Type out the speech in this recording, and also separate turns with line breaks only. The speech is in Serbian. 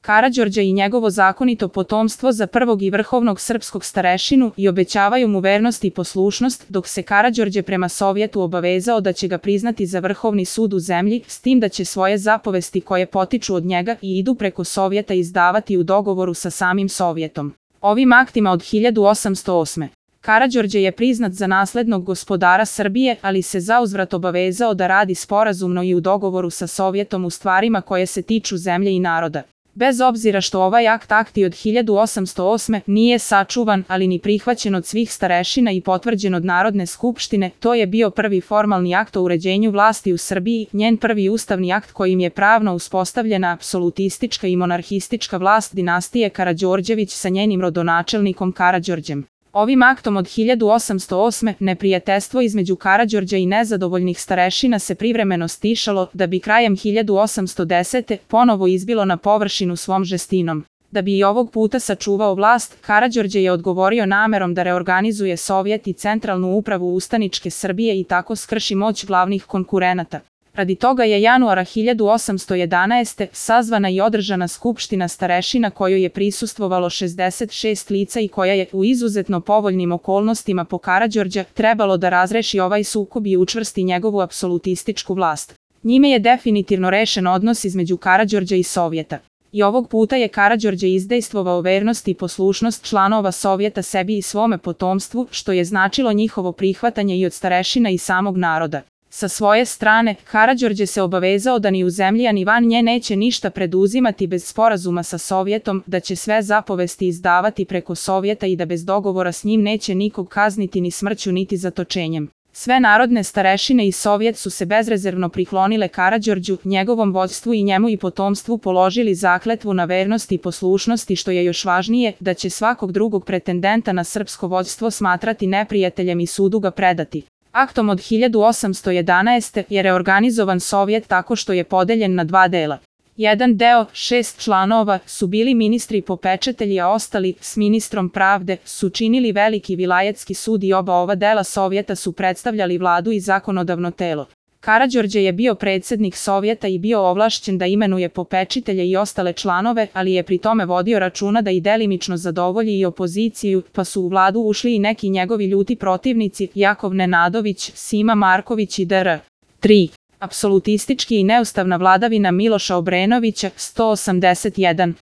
Karađorđa i njegovo zakonito potomstvo za prvog i vrhovnog srpskog starešinu i obećavaju mu vernost i poslušnost, dok se Karađorđe prema Sovjetu obavezao da će ga priznati za vrhovni sud u zemlji, s tim da će svoje zapovesti koje potiču od njega i idu preko Sovjeta izdavati u dogovoru sa samim Sovjetom. Ovim aktima od 1808. Karađorđe je priznat za naslednog gospodara Srbije, ali se zauzvrat obavezao da radi sporazumno i u dogovoru sa Sovjetom u stvarima koje se tiču zemlje i naroda. Bez obzira što ovaj akti od 1808. nije sačuvan, ali ni prihvaćen od svih starešina i potvrđen od Narodne skupštine, to je bio prvi formalni akt o uređenju vlasti u Srbiji, njen prvi ustavni akt kojim je pravno uspostavljena apsolutistička i monarhistička vlast dinastije Karađorđević sa njenim rodonačelnikom Karađorđem. Ovim aktom od 1808. neprijateljstvo između Karađorđa i nezadovoljnih starešina se privremeno stišalo, da bi krajem 1810. ponovo izbilo na površinu svom žestinom. Da bi i ovog puta sačuvao vlast, Karađorđe je odgovorio namerom da reorganizuje Sovjet i centralnu upravu ustaničke Srbije i tako skrši moć glavnih konkurenata. Radi toga je januara 1811. sazvana i održana skupština starešina kojoj je prisustvovalo 66 lica i koja je u izuzetno povoljnim okolnostima po Karađorđa trebalo da razreši ovaj sukob i učvrsti njegovu apsolutističku vlast. Njime je definitivno rešen odnos između Karađorđa i Sovjeta. I ovog puta je Karađorđe izdejstvovao vernost i poslušnost članova Sovjeta sebi i svome potomstvu, što je značilo njihovo prihvatanje i od starešina i samog naroda. Sa svoje strane, Karađorđe se obavezao da ni u zemlji a ni van nje neće ništa preduzimati bez sporazuma sa Sovjetom, da će sve zapovesti izdavati preko Sovjeta i da bez dogovora s njim neće nikog kazniti ni smrću niti zatočenjem. Sve narodne starešine i Sovjet su se bezrezervno priklonile Karađorđu, njegovom vođstvu i njemu i potomstvu položili zakletvu na vernost i poslušnost i što je još važnije, da će svakog drugog pretendenta na srpsko vođstvo smatrati neprijateljem i sudu ga predati. Aktom od 1811. je reorganizovan Sovjet tako što je podeljen na dva dela. Jedan deo, 6 članova, su bili ministri popečatelji, a ostali, s ministrom pravde, su činili veliki vilajetski sud i oba ova dela Sovjeta su predstavljali vladu i zakonodavno telo. Karađorđe je bio predsjednik Sovjeta i bio ovlašćen da imenuje popečitelje i ostale članove, ali je pri tome vodio računa da i delimično zadovolji i opoziciju, pa su u vladu ušli i neki njegovi ljuti protivnici, Jakov Nenadović, Sima Marković i dr. 3. Apsolutistički i neustavna vladavina Miloša Obrenovića, 181.